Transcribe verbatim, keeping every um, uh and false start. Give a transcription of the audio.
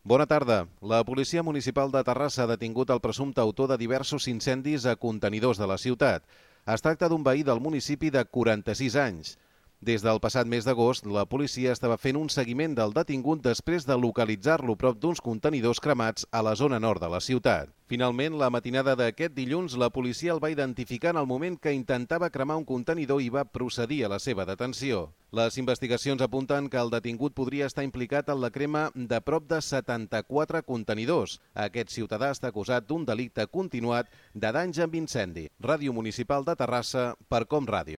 Bona tarda. La policia municipal de Terrassa ha detingut el presumpte autor de diversos incendis a contenidors de la ciutat. Es tracta d'un veí del municipi de quaranta-sis anys. Des del passat mes d'agost, la policia estava fent un seguiment del detingut després de localitzar-lo prop d'uns contenidors cremats a la zona nord de la ciutat. Finalment, la matinada d'aquest dilluns, la policia el va identificar en el moment que intentava cremar un contenidor i va procedir a la seva detenció. Les investigacions apunten que el detingut podria estar implicat en la crema de prop de setanta-quatre contenidors. Aquest ciutadà està acusat d'un delicte continuat de danys amb incendi. Ràdio Municipal de Terrassa, per Com Ràdio.